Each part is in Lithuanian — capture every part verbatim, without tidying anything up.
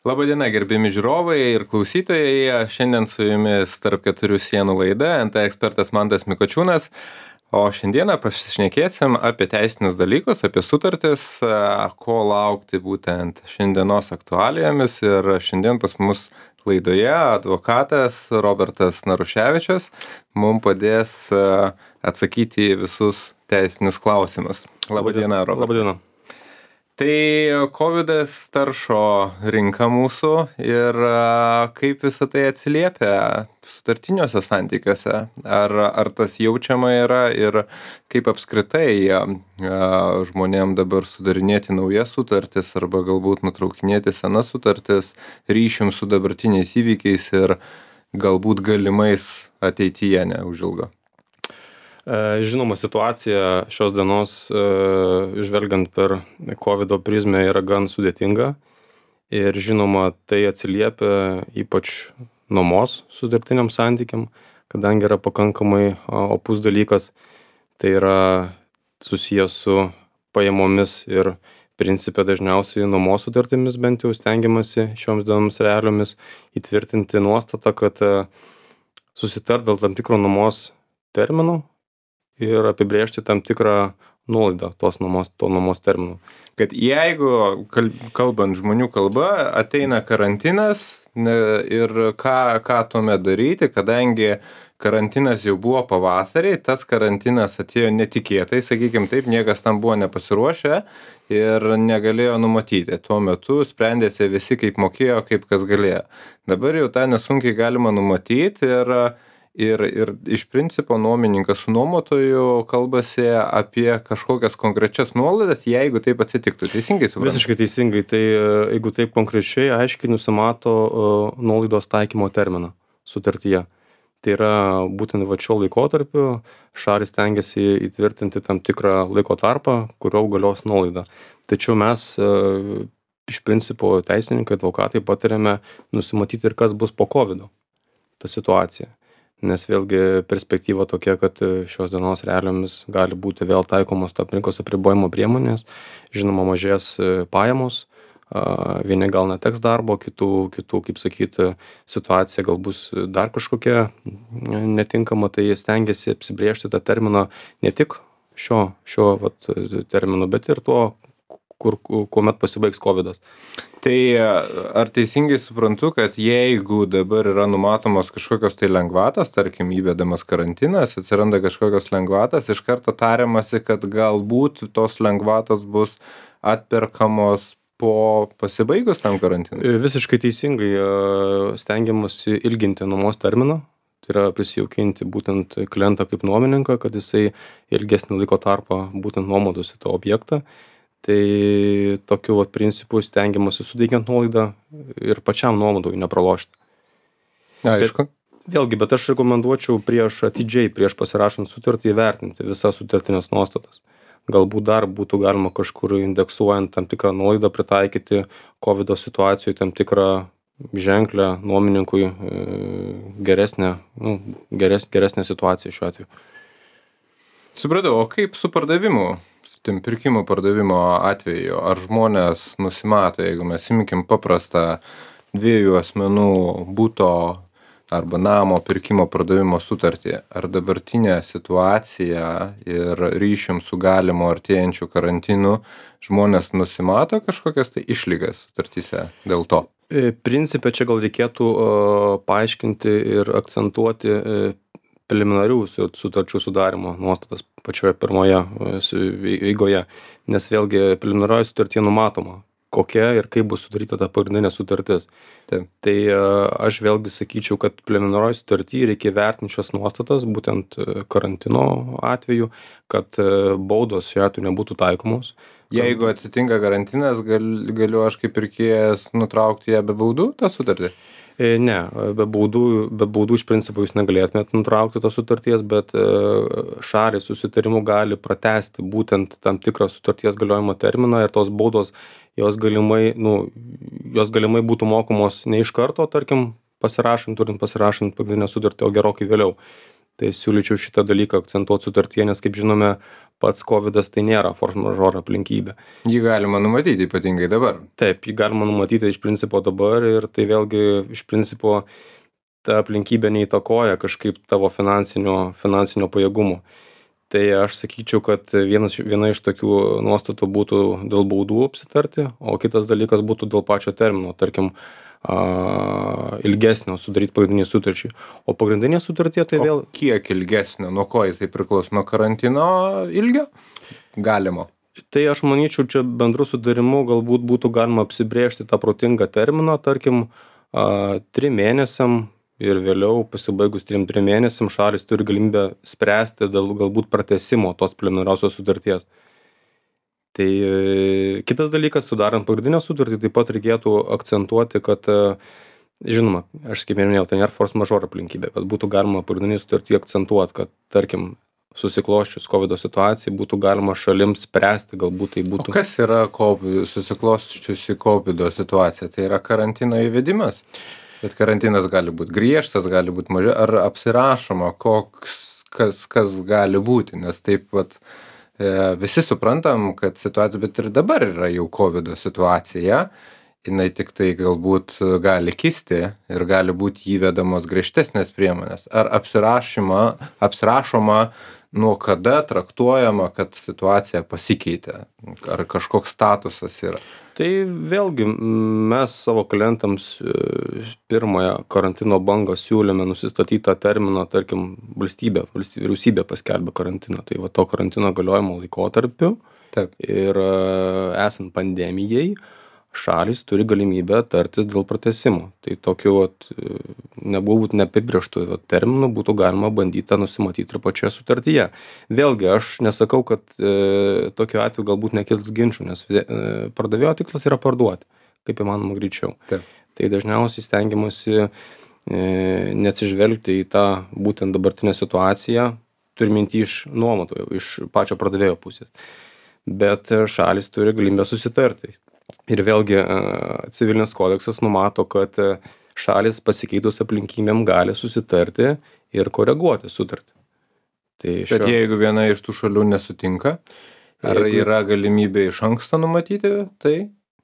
Labadiena, gerbiami žiūrovai ir klausytojai. Šiandien su jumis tarp keturių sienų laida N T ekspertas Mantas Mikočiūnas. O šiandieną pasišnekėsim apie teisinius dalykus, apie sutartis, ko laukti būtent šiandienos aktualijomis. Ir šiandien pas mus laidoje advokatas Robertas Naruševičius mums padės atsakyti į visus teisinius klausimus. Labadiena, Robertas. Labadiena. Tai kovidas taršo rinką mūsų ir kaip visą tai atsiliepia sutartiniuose santykiuose? Ar, ar tas jaučiama yra ir kaip apskritai žmonėm dabar sudarinėti naujas sutartis arba galbūt nutraukinėti senas sutartis ryšium su dabartiniais įvykiais ir galbūt galimais ateityje neužilgo? Žinoma, situacija šios dienos, žvelgiant per kovido prizmę, yra gan sudėtinga ir žinoma, tai atsiliepia ypač nuomos sutartiniam santykiam, kadangi yra pakankamai opus dalykas, tai yra susijęs su pajamomis ir principe dažniausiai nuomos sutartimis, bent jau stengiamasi šioms dienoms realiomis įtvirtinti nuostatą, kad susitart dėl tam tikro nuomos terminų ir apibrėžti tam tikrą nuolaidą tos nuomos, to nuomos terminų. Kad jeigu, kalbant žmonių kalba, ateina karantinas ir ką, ką tuomet daryti, kadangi karantinas jau buvo pavasarį, tas karantinas atėjo netikėtai, sakykim taip, niekas tam buvo nepasiruošę ir negalėjo numatyti. Tuo metu sprendėsi visi kaip mokėjo, kaip kas galėjo. Dabar jau tą nesunkiai galima numatyti ir Ir, ir iš principo nuomininkas su nuomotoju kalbasi apie kažkokias konkrečias nuolaidas, jeigu taip atsitiktų. Teisingai suprantu? Visiškai teisingai. Tai jeigu taip konkrečiai, aiškiai nusimato uh, nuolaidos taikymo terminą sutartyje. Tai yra būtent va šio laikotarpiu šalys stengiasi įtvirtinti tam tikrą laiko tarpą, kurio galios nuolaida. Tačiau mes uh, iš principo teisininkai, advokatai patariame nusimatyti ir kas bus po kovido, ta situacija. Nes vėlgi perspektyva tokia, kad šios dienos realiomis gali būti vėl taikomos tam rinkos apribojimo priemonės, žinoma mažės pajamos, vieni gal neteks darbo, kitų, kitų kaip sakyti, situacija gal bus dar kažkokia netinkama, tai stengiasi apsibrėžti tą terminą ne tik šio, šio vat, termino, bet ir tuo, kur, kuomet pasibaigs kovidas. Tai ar teisingai suprantu, kad jeigu dabar yra numatomos kažkokios tai lengvatos, tarkim įvedamas karantinas, atsiranda kažkokios lengvatos, iš karto tariamasi, kad galbūt tos lengvatos bus atperkamos po pasibaigus tam karantinui? Visiškai teisingai stengiamasi ilginti nuomos terminą. Tai yra prisijaukinti būtent klientą kaip nuomininką, kad jisai ilgesnį laiko tarpą būtent nuomotųsi tą objektą. Tai tokiu vat principu stengiamasi suteikiant nuolaidą ir pačiam nuomotojui nepralošti. Aišku. Bet, vėlgi, bet aš rekomenduočiau prieš atidžiai, prieš pasirašant sutartį įvertinti visas sutartinės nuostatas. Galbūt dar būtų galima kažkur indeksuojant tam tikrą nuolaidą pritaikyti kovido situacijoje tam tikrą ženklę nuomininkui geresnę, nu, geres, geresnę situaciją šiuo atveju. Supratau, o kaip su pardavimu? Tim pirkimo pardavimo atveju, ar žmonės nusimato, jeigu mes imkim paprastą dviejų asmenų buto arba namo pirkimo pardavimo sutartį, ar dabartinė situacija ir ryšium su galimu artėjančiu karantinu žmonės nusimato kažkokias tai išlygas sutartyse dėl to? Principe čia gal reikėtų uh, paaiškinti ir akcentuoti uh, preliminarių sutarčių sudarimo nuostatas pačioje pirmoje eigoje, nes vėlgi preliminarioje sutartyje numatoma, kokia ir kaip bus sudaryta ta pagrindinė sutartis. Taip. Tai aš vėlgi sakyčiau, kad preliminarioje sutartyje reikia vertinti šias nuostatas, būtent karantino atveju, kad baudos šiuo atveju nebūtų taikomos. Jeigu atsitinka karantinas, gal, galiu aš kaip pirkėjas nutraukti ją be baudų, tą sutartį? Ne, be baudų, be baudų iš principo jūs negalėtumėt nutraukti tos sutarties, bet šalys susitarimu gali pratęsti būtent tam tikrą sutarties galiojimo terminą ir tos baudos, jos galimai, nu, jos galimai būtų mokamos ne iš karto, tarkim, pasirašant, turint pasirašant pagrindinę sutartį, o gerokai vėliau. Tai siūlyčiau šitą dalyką akcentuot sutartyje, nes kaip žinome, pats kovidas tai nėra force majeure aplinkybė. Jį galima numatyti ypatingai dabar. Taip, jį galima numatyti iš principo dabar ir tai vėlgi iš principo ta aplinkybė neįtakoja kažkaip tavo finansinio, finansinio pajėgumo. Tai aš sakyčiau, kad vienas, viena iš tokių nuostatų būtų dėl baudų apsitarti, o kitas dalykas būtų dėl pačio termino, tarkim, a, ilgesnio sudaryti pagrindinį sutarčiai. O pagrindinė sutartie tai O vėl... kiek ilgesnio, nuo ko jisai priklauso, nuo karantino ilgio? Galimo. Tai aš manyčiau, čia bendru sudarimu galbūt būtų galima apsibrėžti tą protingą terminą, tarkim, a, trim mėnesiam ir vėliau pasibaigus trim trim mėnesiam šalys turi galimybę spręsti dėl galbūt pratęsimo tos preliminariosios sutarties. Tai e, kitas dalykas, sudarant pagrindinę sutartį, taip pat reikėtų akcentuoti, kad, e, žinoma, aš kaip minėjau, tai nėra force majeure aplinkybė, bet būtų galima pagrindinį sutartį akcentuoti, kad, tarkim, susiklosčius kovido situacijai būtų galima šalims spręsti, galbūt tai būtų... O kas yra COVID, susiklosčiusi kovido situacija? Tai yra karantino įvedimas? Bet karantinas gali būti griežtas, gali būti mažiau, ar apsirašoma, koks, kas, kas gali būti, nes taip pat e, visi suprantam, kad situacija, bet ir dabar yra jau kovido situacija, jinai tik tai galbūt gali kisti ir gali būti įvedamos griežtesnės priemonės. Ar apsirašoma, apsirašoma nuo kada traktuojama, kad situacija pasikeitė, ar kažkoks statusas yra? Tai vėlgi mes savo klientams pirmąją karantino bangą siūlėme nusistatyti tą terminą, tarkim, valstybė, valstybė, vyriausybė paskelbė karantiną, tai va to karantino galiojimo laikotarpiu. Taip. Ir esant pandemijai, šalys turi galimybę tartis dėl pratęsimo. Tai tokiu vat, nebuvo būt neapibrėžtų vat, terminų būtų galima bandyti nusimatyti ir pačioje sutartyje. Vėlgi, aš nesakau, kad e, tokiu atveju galbūt nekils ginčių, nes e, pardavėjo tikslas yra parduoti, kaip įmanoma greičiau. Taip. Tai dažniausiai stengiamasi e, neatsižvelgti į tą būtent dabartinę situaciją, turi minti iš nuomotojo, iš pačio pardavėjo pusės. Bet šalis turi galimybę susitarti. Ir vėlgi civilinis kodeksas numato, kad šalis pasikeitus aplinkybėm gali susitarti ir koreguoti sutartį. Tai šio... Bet jeigu viena iš tų šalių nesutinka, ar jeigu... yra galimybė iš anksto numatyti tai?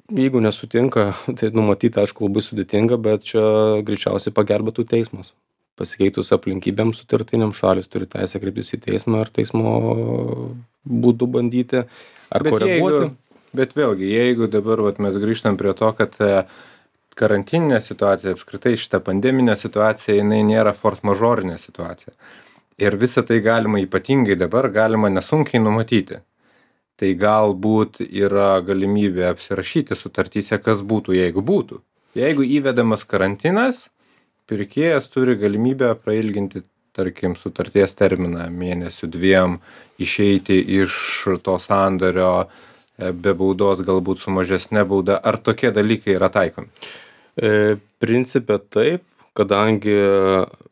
Jeigu nesutinka, tai numatyti, aišku, labai sudėtinga, bet čia greičiausiai pagelbėtų teismas. Pasikeitus aplinkybėm sutartiniam šalis turi teisę kreiptis į teismą ar teismo būdu bandyti ar bet koreguoti. Jeigu... Bet vėlgi, jeigu dabar vat, mes grįžtam prie to, kad karantininė situacija, apskritai šita pandeminė situacija, jinai nėra force majeure situacija. Ir visą tai galima ypatingai dabar, galima nesunkiai numatyti. Tai galbūt yra galimybė apsirašyti sutartyse, kas būtų, jeigu būtų. Jeigu įvedamas karantinas, pirkėjas turi galimybę prailginti, tarkim, sutarties terminą mėnesių dviem, išeiti iš to sandorio, be baudos, galbūt su mažesne bauda, ar tokie dalykai yra taikomi? E, principė taip, kadangi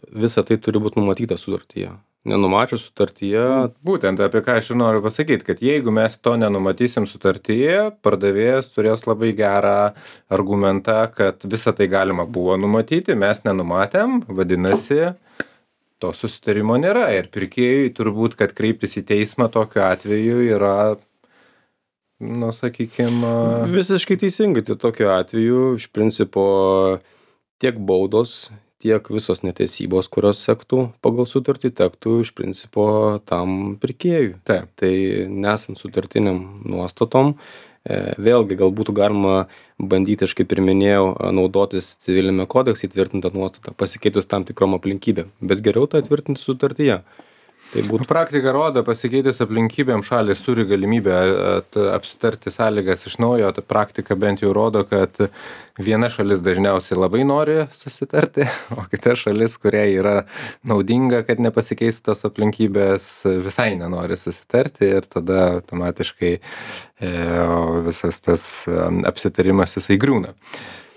visa tai turi būti numatyta sutartyje. Nenumačius sutartyje... Būtent apie ką aš ir noriu pasakyti, kad jeigu mes to nenumatysim sutartyje, pardavėjas turės labai gerą argumentą, kad visą tai galima buvo numatyti, mes nenumatėm, vadinasi, to susitarimo nėra. Ir pirkėjui turbūt, kad kreiptis į teismą tokiu atveju yra... Nu, sakykime... Visiškai teisingai, tai tokiu atveju iš principo tiek baudos, tiek visos neteisybos, kurios sektų pagal sutartį, tektų iš principo tam pirkėjui. Taip. Tai nesant sutartiniam nuostatom, vėlgi gal būtų galima bandyti, aš kaip ir minėjau, naudotis civilinėme kodekse įtvirtintą nuostatą, pasikeitus tam tikrom aplinkybėm, bet geriau tą įtvirtinti sutartyje. Tai būtų... Praktika rodo, pasikeitus aplinkybėm šalis turi galimybę apsitarti sąlygas iš naujo. Ta praktika bent jau rodo, kad viena šalis dažniausiai labai nori susitarti, o kita šalis, kuriai yra naudinga, kad nepasikeistų tos aplinkybės, visai nenori susitarti ir tada automatiškai e, visas tas apsitarimas jisai griūna.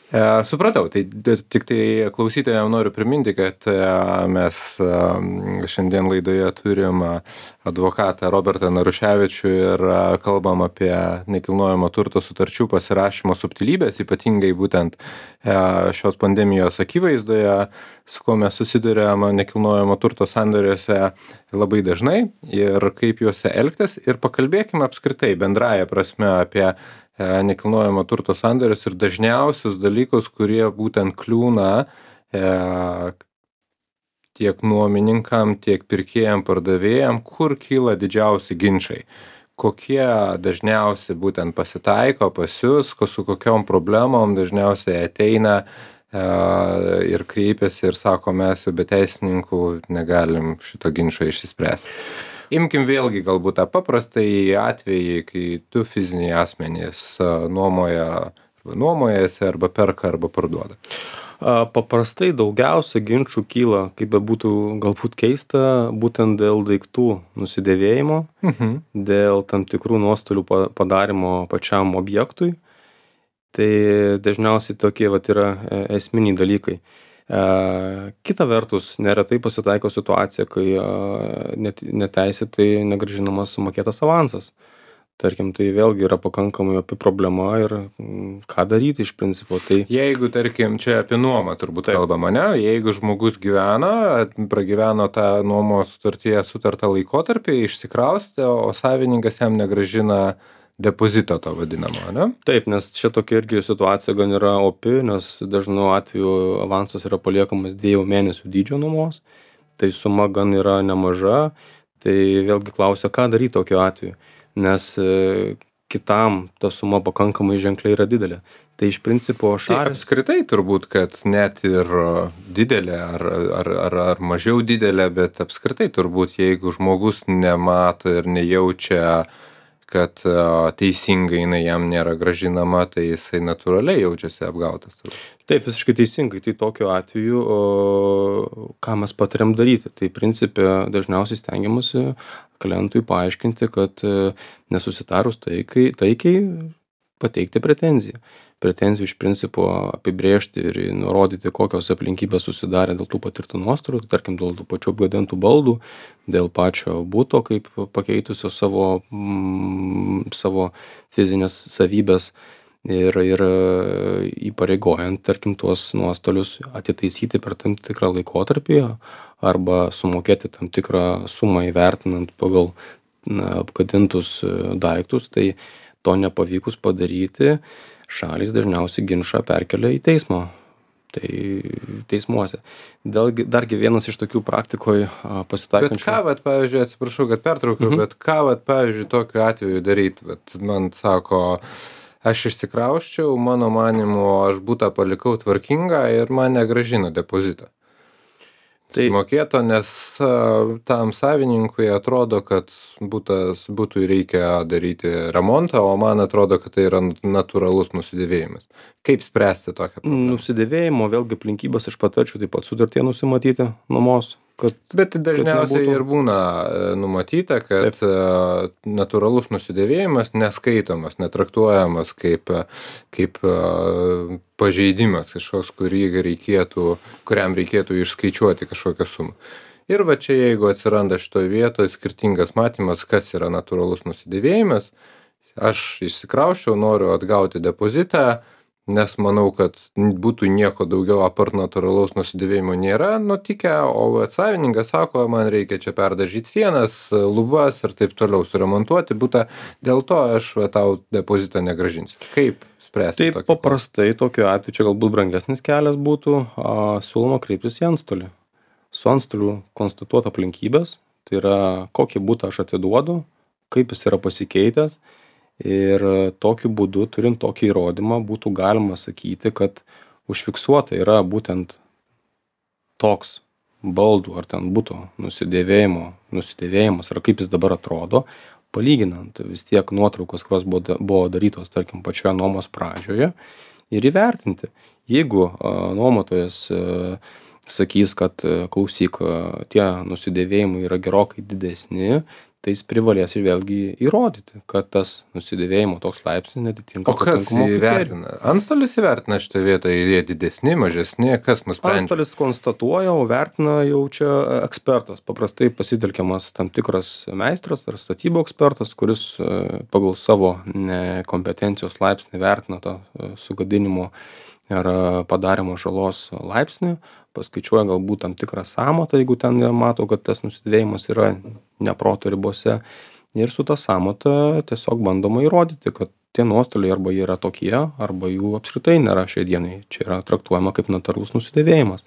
E, supratau, tai d- tik tai klausytojams noriu priminti, kad e, mes e, šiandien laidoje turim e, advokatą Robertą Naruševičių ir e, kalbam apie nekilnojamo turto sutarčių pasirašymo subtilybės, ypatingai būtent e, šios pandemijos akivaizdoje, su kuo mes susidurėm nekilnojamo turto sandoriuose labai dažnai ir kaip juose elgtis. Ir pakalbėkime apskritai bendraja prasme apie e, nekilnojamo turto sandorius ir dažniausius dalykus, kurie būtent kliūna e, tiek nuomininkam, tiek pirkėjam, pardavėjam, kur kyla didžiausi ginčiai. Kokie dažniausiai būtent pasitaiko pas jūs, ko su kokiom problemom dažniausiai ateina e, ir kreipiasi ir sako, mes jau be teisininkų negalim šito ginčo išsispręsti. Imkim vėlgi galbūt tą paprastąjį atvejį, kai du fiziniai asmenys e, nuomoja, arba nuomojasi, arba perka, arba parduoda. A, Paprastai daugiausia ginčių kyla, kaip bebūtų galbūt keista, būtent dėl daiktų nusidėvėjimo, Mhm. dėl tam tikrų nuostolių pa- padarimo pačiam objektui. Tai dažniausiai tokie vat yra e, esminiai dalykai. E, Kita vertus, neretai pasitaiko situacija, kai e, net, neteisėtai negrąžinamas sumokėtas avansas. Tarkim, tai vėlgi yra pakankamai opi problema ir mm, ką daryti iš principo. Tai Jeigu, tarkim, čia apie nuomą turbūt Taip. kalbama, ne? Jeigu žmogus gyvena, pragyveno tą nuomos sutartyje sutartą laikotarpį, išsikraustė, o savininkas jam negrąžina depozito to vadinamo, ne? taip, nes čia tokia irgi situacija gan yra opi, nes dažnu atveju avansas yra paliekamas dviejų mėnesių dydžio nuomos, tai suma gan yra nemaža, tai vėlgi klausia, ką daryti tokiu atveju, nes e, kitam ta suma pakankamai ženkliai yra didelė. Tai iš principo Tai šalis. apskritai turbūt, kad net ir didelė ar, ar, ar, ar mažiau didelė, bet apskritai turbūt, jeigu žmogus nemato ir nejaučia, kad e, teisingai jinai jam nėra gražinama, tai jisai natūraliai jaučiasi apgautas. turbūt. Taip, visiškai teisingai. Tai tokiu atveju, o, ką mes patariam daryti? Tai principė dažniausiai stengiamasi klientui paaiškinti, kad e, nesusitarus taikai, taikiai pateikti pretenziją. Pretenzijų iš principo apibrėžti ir nurodyti, kokios aplinkybės susidarė dėl tų patirtų nuostolių, tai tarkim dėl tų pačių apgadintų baldų, dėl pačio buto, kaip pakeitusio savo, mm, savo fizinės savybės ir, ir e, įpareigojant, tarkim, tuos nuostolius atitaisyti per tam tikrą laikotarpį arba sumokėti tam tikrą sumą įvertinant pagal na, apgadintus e, daiktus, tai to nepavykus padaryti, šalys dažniausiai ginčą perkelia į teismą. Tai teismuose. Dėlgi, dargi vienas iš tokių praktikoje Bet pasitaikančių. ką, vat, pavyzdžiui, atsiprašau, kad pertraukiau, Mhm. bet ką, vat, pavyzdžiui, tokiu atveju daryti? Vat, man sako, aš išsikrausčiau, mano manimu, aš butą palikau tvarkingą ir man negrąžino depozitą. Tai- Sumokėto, nes a, tam savininkui atrodo, kad butas, butui reikia daryti remontą, o man atrodo, kad tai yra natūralus nusidėvėjimas. Kaip spręsti tokią problemą? Nusidėvėjimo vėlgi aplinkybės aš patarčiau taip pat sutartie nusimatyti nuomos, kad Bet dažniausiai nebūtų- ir būna e, numatyta, kad Taip. e, natūralus nusidėvėjimas neskaitomas, netraktuojamas kaip, e, kaip e, pažeidimas kažkoks, kurį reikėtų, kuriam reikėtų išskaičiuoti kažkokią sumą. Ir va čia jeigu atsiranda šitoje vietoje skirtingas matymas, kas yra natūralus nusidėvėjimas, aš išsikrausčiau, noriu atgauti depozitą, nes manau, kad būtų nieko daugiau apart natūralaus nusidėvėjimo nėra nutikę, o vat savininkas sako, man reikia čia perdažyti sienas, lubas ir taip toliau suremontuoti butą, dėl to aš va, tau depozitą negrąžinsiu. Kaip spręsti taip tokį paprastai tokiu atveju čia galbūt brangesnis kelias būtų, a, siūloma kreiptis į antstolį. Su antstoliu konstatuot aplinkybės, tai yra kokį butą aš atiduodu, kaip jis yra pasikeitęs. Ir tokiu būdu, turint tokį įrodymą, būtų galima sakyti, kad užfiksuota yra būtent toks baldų ar ten buto nusidėvėjimo, nusidėvėjimas, ar kaip jis dabar atrodo, palyginant vis tiek nuotraukos, kurios buvo, da- buvo darytos, tarkim, pačioje nuomos pradžioje ir įvertinti. Jeigu a, nuomotojas a, sakys, kad a, klausyk, a, tie nusidėvėjimai yra gerokai didesni, tai jis privalės ir vėlgi įrodyti, kad tas nusidėvėjimo toks laipsnis neatitinka O kas atitinkamų kriterijų. įvertina? Antstolis įvertina šitą vietą, jie didesni, mažesni, kas nusprendžia? Antstolis konstatuoja, o vertina jau čia ekspertas. Paprastai pasitelkiamas tam tikras meistras ar statybų ekspertas, kuris e, pagal savo ne, kompetencijos laipsnį vertina tą e, sugadinimo ar e, padarimo žalos laipsnį, paskaičiuoja galbūt tam tikrą sąmatą, jeigu ten jie mato, kad tas nusidėvėjimas yra ne proto ribose. Ir su ta sąmata tiesiog bandoma įrodyti, kad tie nuostoliai arba jie yra tokie, arba jų apskritai nėra šiai dienai. Čia yra traktuojama kaip natūralus nusidėvėjimas.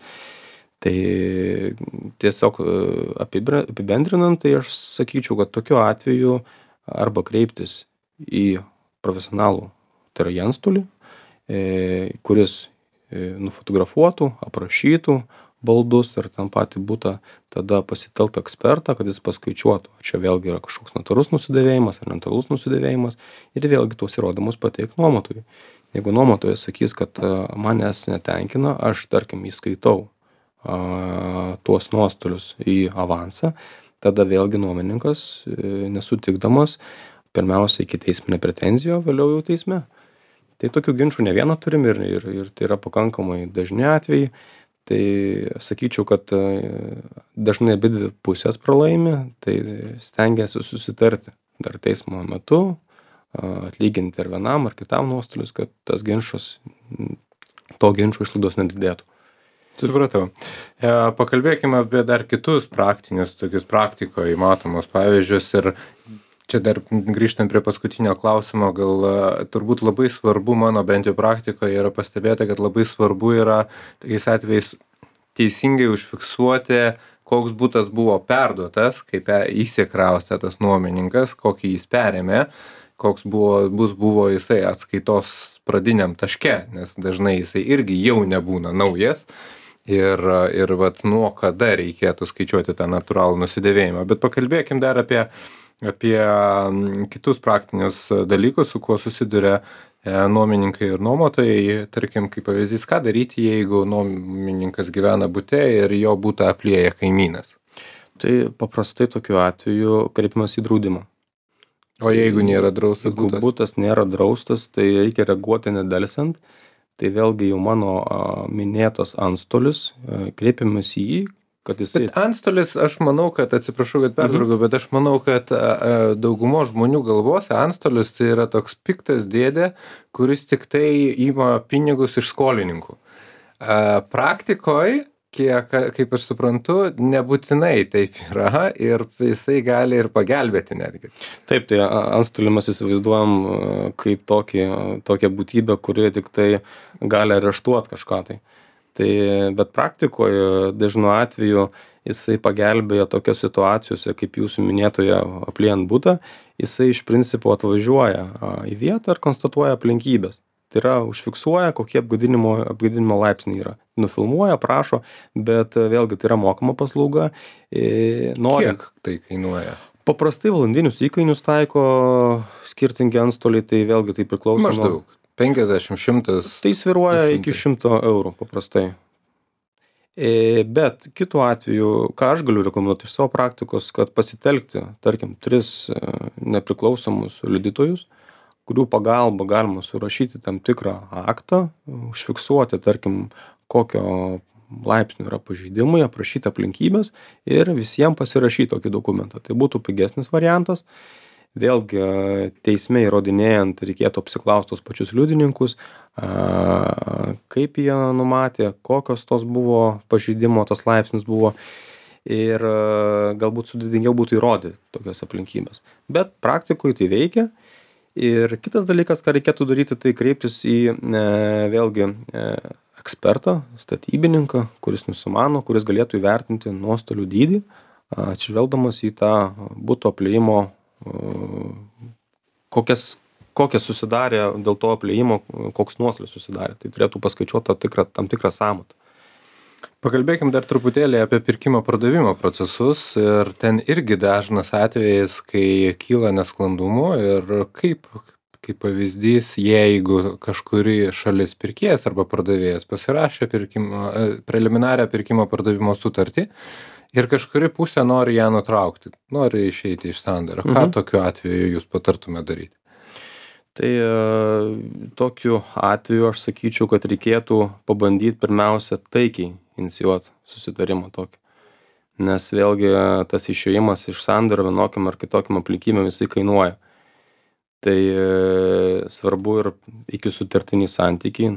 Tai tiesiog e, apibra- apibendrinant, tai aš sakyčiau, kad tokiu atveju arba kreiptis į profesionalų, tai yra į antstolį, e, kuris e, nufotografuotų, aprašytų baldus ir tam patį butą, tada pasitelkt ekspertą, kad jis paskaičiuotų, ar čia vėlgi yra kažkoks natūralus nusidėvėjimas ar natūralus nusidėvėjimas ir vėlgi tuos įrodymus pateikt nuomotojui. Jeigu nuomotojas sakys, kad a, manęs netenkina, aš tarkim įskaitau a, tuos nuostolius į avansą, tada vėlgi nuomininkas e, nesutikdamas pirmiausia ikiteisminę pretenziją, vėliau jau teisme. Tai tokių ginčų ne vieną turim ir, ir, ir tai yra pakankamai dažni atvejai. Tai sakyčiau, kad e, dažnai abidvi pusės pralaimi, tai stengiasi susitarti dar teismo metu, a, atlyginti ar vienam ar kitam nuostolius, kad tas ginčas, to ginčo išlaidos nedidėtų. Supratau. E, pakalbėkime apie dar kitus praktinius, tokius praktikoje matomus pavyzdžius ir čia dar grįžtant prie paskutinio klausimo, gal a, turbūt labai svarbu mano bent jau praktikoje yra pastebėta, kad labai svarbu yra tokiais atvejais teisingai užfiksuoti, koks butas buvo perduotas, kaip e- įsikraustė tas nuomininkas, kokį jis perėmė, koks buvo, bus buvo jisai atskaitos pradiniam taške, nes dažnai jisai irgi jau nebūna naujas. Ir, ir vat nuo kada reikėtų skaičiuoti tą natūralų nusidėvėjimą. Bet pakalbėkim dar apie, apie mm, kitus praktinius dalykus, su kuo susiduria e, nuomininkai ir nuomotojai. Tarkim, kaip pavyzdys, ką daryti, jeigu nuomininkas gyvena bute ir jo butą aplieja kaimynas. Tai paprastai tokiu atveju kreipiamas į draudimą. O jeigu nėra draustas Jeigu butas? butas nėra draustas, tai reikia reaguoti nedelsiant. Tai vėlgi jau mano a, minėtas antstolis, a, kreipiamas į jį, kad jisai... Bet antstolis, aš manau, kad, atsiprašau, kad pertraukiau, bet aš manau, kad a, a, daugumo žmonių galvose antstolis tai yra toks piktas dėdė, kuris tik tai ima pinigus iš skolininkų. A, praktikoj, kiek, kaip aš suprantu, nebūtinai taip yra ir jisai gali ir pagelbėti netgi. Taip, tai a- antstolį mes įsivaizduojam a, kaip tokį, a, tokią būtybę, kuri tik tai gali areštuoti kažką tai. Tai bet praktikoje dažnu atveju jisai pagelbėja tokiose situacijose, kaip jūsų minėtoje apliejant butą, jisai iš principo atvažiuoja a, į vietą ir konstatuoja aplinkybės. Tai yra užfiksuoja, kokie apgadinimo, apgadinimo laipsniai yra. Nufilmuoja, prašo, bet a, vėlgi tai yra mokama paslauga. E, norint- Kiek tai kainuoja? Paprastai valandinius įkainius taiko skirtingi antstoliai, tai vėlgi tai priklauso nuo... Maždaug. penkiasdešimt, šimtas. Tai sviruoja du iki šimtai. šimto eurų paprastai. E, bet kitu atveju, ką aš galiu rekomenduoti iš savo praktikos, kad pasitelkti, tarkim, tris e, nepriklausomus liudytojus, kurių pagalba galima surašyti tam tikrą aktą, užfiksuoti, tarkim, kokio laipsnio yra pažeidimai, aprašyti aplinkybės ir visiems pasirašyti tokį dokumentą. Tai būtų pigesnis variantas. Vėlgi teisme įrodinėjant reikėtų apsiklausti tos pačius liudininkus, a, kaip jie numatė, kokios tos buvo pažeidimo, tas laipsnis buvo ir a, galbūt sudėtingiau būtų įrodyti tokias aplinkybės. Bet praktikoje tai veikia. Ir kitas dalykas, ką reikėtų daryti, tai kreiptis į e, vėlgi e, ekspertą, statybininką, kuris nusimano, kuris galėtų įvertinti nuostolių dydį, atsižvelgdamas į tą buto apliejimo, e, kokias, kokias susidarė dėl to apliejimo, koks nuostolis susidarė. Tai turėtų paskaičiuoti tam tikrą, tam tikrą sąmatą. Pakalbėkim dar truputėlį apie pirkimo pardavimo procesus ir ten irgi dažnas atvejis, kai kyla nesklandumų ir kaip, kaip pavyzdys, jeigu kažkuri šalis pirkėjas arba pardavėjas pasirašė pirkimo, preliminarią pirkimo pardavimo sutartį ir kažkuri pusė nori ją nutraukti, nori išeiti iš sandorio. Ką Mhm. tokiu atveju jūs patartume daryti? Tai e, tokiu atveju aš sakyčiau, kad reikėtų pabandyti pirmiausia taikiai inicijuoti susitarimą tokį. Nes vėlgi e, tas išėjimas iš sandorio vienokiam ar kitokiam aplinkybėm jisai kainuoja. Tai e, svarbu ir iki sutartiniai santykiai.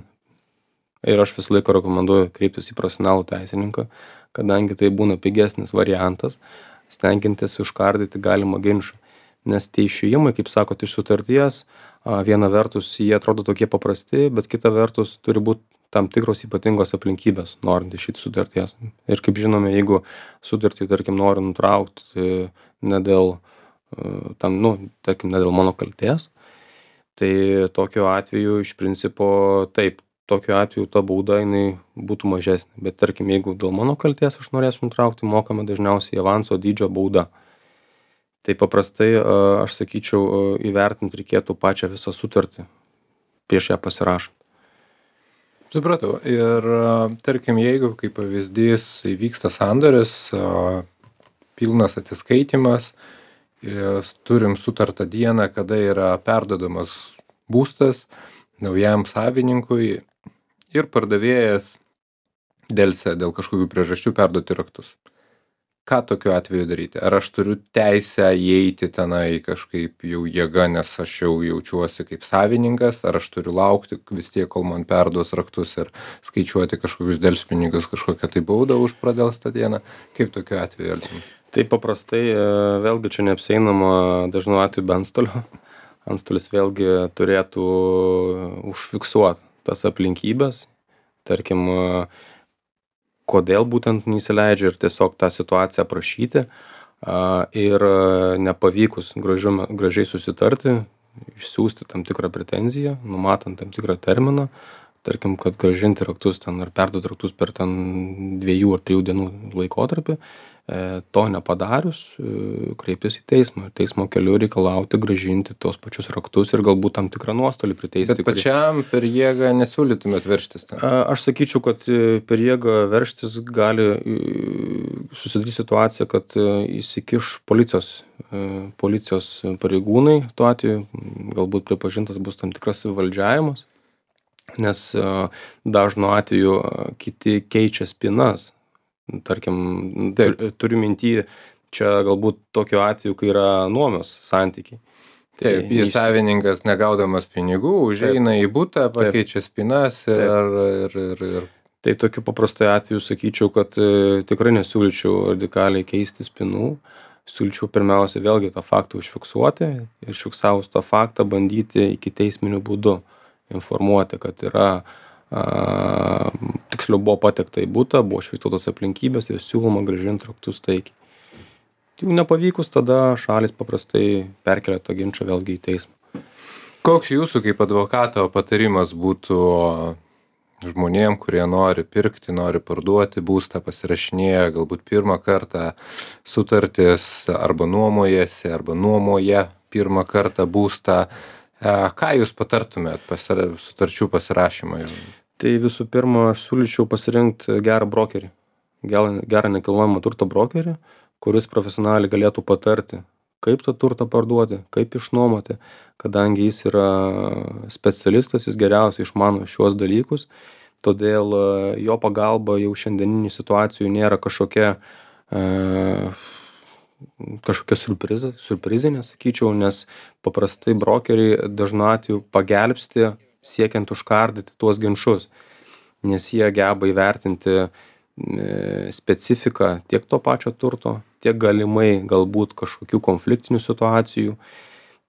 Ir aš visą laiką rekomenduoju kreiptis į profesionalų teisininką, kadangi tai būna pigesnis variantas, stengiantis užkardyti galimą ginčą. Nes tie išėjimai, kaip sakot, iš sutarties, a, viena vertus jie atrodo tokie paprasti, bet kita vertus turi būti tam tikros ypatingos aplinkybės, norint išeiti sutarties. Ir kaip žinome, jeigu sutartį, tarkim, nori nutraukti tai ne dėl, e, tam, nu, tarkim, ne dėl mano kaltės, tai tokiu atveju iš principo taip, tokiu atveju ta bauda jinai būtų mažesnė. Bet tarkim, jeigu dėl mano kaltės aš norėsiu nutraukti, mokame dažniausiai avanso dydžio bauda. Tai paprastai a, aš sakyčiau, a, įvertinti reikėtų pačią visą sutartį prieš ją pasirašant. Supratau. Ir a, tarkim, jeigu kaip pavyzdys įvyksta sandoris, a, pilnas atsiskaitimas, ir turim sutartą dieną, kada yra perduodamas būstas naujam savininkui ir pardavėjas delsia dėl kažkokių priežasčių perduoti raktus. Ką tokiu atveju daryti? Ar aš turiu teisę įeiti tenai kažkaip jau jėga, nes aš jau jaučiuosi kaip savininkas, ar aš turiu laukti vis tiek, kol man perduos raktus ir skaičiuoti kažkokius delspinigus, kažkokią tai baudą už pradelstą dieną? Kaip tokiu atveju elgtis? Tai paprastai e, vėlgi čia neapsieinama dažnu atveju be antstolio. Antstolis vėlgi turėtų užfiksuoti tas aplinkybės, tarkim, e, kodėl būtent neįsileidžia ir tiesiog tą situaciją aprašyti a, ir e, nepavykus gražiu, gražiai susitarti, išsiųsti tam tikrą pretenziją, numatant tam tikrą terminą, tarkim, kad grąžinti raktus ten ar perduoti raktus per ten dviejų ar trijų dienų laikotarpį, e, to nepadarius, e, kreiptis į teismą ir teismo keliu reikalauti grąžinti tos pačius raktus ir galbūt tam tikrą nuostolį priteisti. Bet pačiam per jėgą nesiūlytumėt veržtis ten? A, Aš sakyčiau, kad e, per jėgą veržtis gali e, susidaryti situacija, kad e, įsikiš policijos, e, policijos pareigūnai, tuo atveju galbūt pripažintas bus tam tikras įvaldžiavimas, nes e, dažnu atveju e, kiti keičia spinas. Tarkim, Taip. tu- turiu minty, čia galbūt tokiu atveju, kai yra nuomos santykiai. Taip, ir neįsi- savininkas negaudamas pinigų, užeina į butą, pakeičia spinas ir, ir, ir, ir Tai tokiu paprastai atveju sakyčiau, kad e, tikrai nesiūlyčiau radikaliai keisti spinų. Siūlyčiau pirmiausia vėlgi tą faktą užfiksuoti ir užfiksavus tą faktą bandyti iki teisminių būdų informuoti, kad yra, a, tiksliau buvo patekta į butą, buvo užfiksuotos aplinkybės ir siūloma grąžinti raktus taikiai. Jeigu nepavykus, tada šalis paprastai perkelia tą ginčą vėlgi į teismą. koks jūsų kaip advokato patarimas būtų žmonėm, kurie nori pirkti, nori parduoti būstą, pasirašinėja galbūt pirmą kartą sutartis arba nuomojasi, arba nuomoja pirmą kartą būstą. E, Ką jūs patartumėt pasira- sutarčių pasirašymui? Tai visų pirma, aš siūlyčiau pasirinkti gerą brokerį, gerą, gerą nekilnojamo turto brokerį, kuris profesionaliai galėtų patarti, kaip tą turtą parduoti, kaip išnuomoti, kadangi jis yra specialistas, jis geriausiai išmano šiuos dalykus, todėl e, jo pagalba jau šiandieninių situacijų nėra kažkokia, e, kažkokia surprizė, surprizinė, sakyčiau, nes paprastai brokeriai dažnu atveju pagelbsti siekiant užkardyti tuos ginčus, nes jie geba įvertinti e, specifiką tiek to pačio turto, tiek galimai galbūt kažkokių konfliktinių situacijų.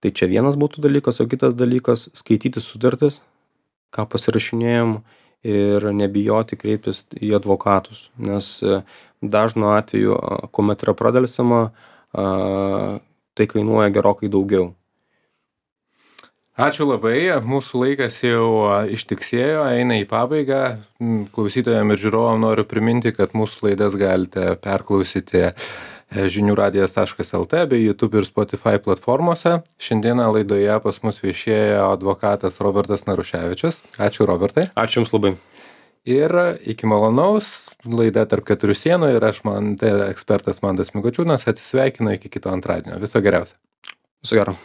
Tai čia vienas būtų dalykas, o kitas dalykas - skaityti sutartis, ką pasirašinėjom ir nebijoti kreiptis į advokatus, nes e, dažnu atveju, a, kuomet yra pradelsiama, a, tai kainuoja gerokai daugiau. Ačiū labai, mūsų laikas jau a, ištiksėjo, eina į pabaigą. M, Klausytojam ir žiūrovam noriu priminti, kad mūsų laidas galite perklausyti e, žinių radijas taškas lt bei YouTube ir Spotify platformose. Šiandieną laidoje pas mus viešėjo advokatas Robertas Naruševičius. Ačiū, Robertai. Ačiū Jums labai. ir iki malonaus. Laida Tarp keturių sienų ir aš man, tai ekspertas Mantas Mikočiūnas, atsisveikinu iki kito antradienio. Viso geriausio. Viso gero.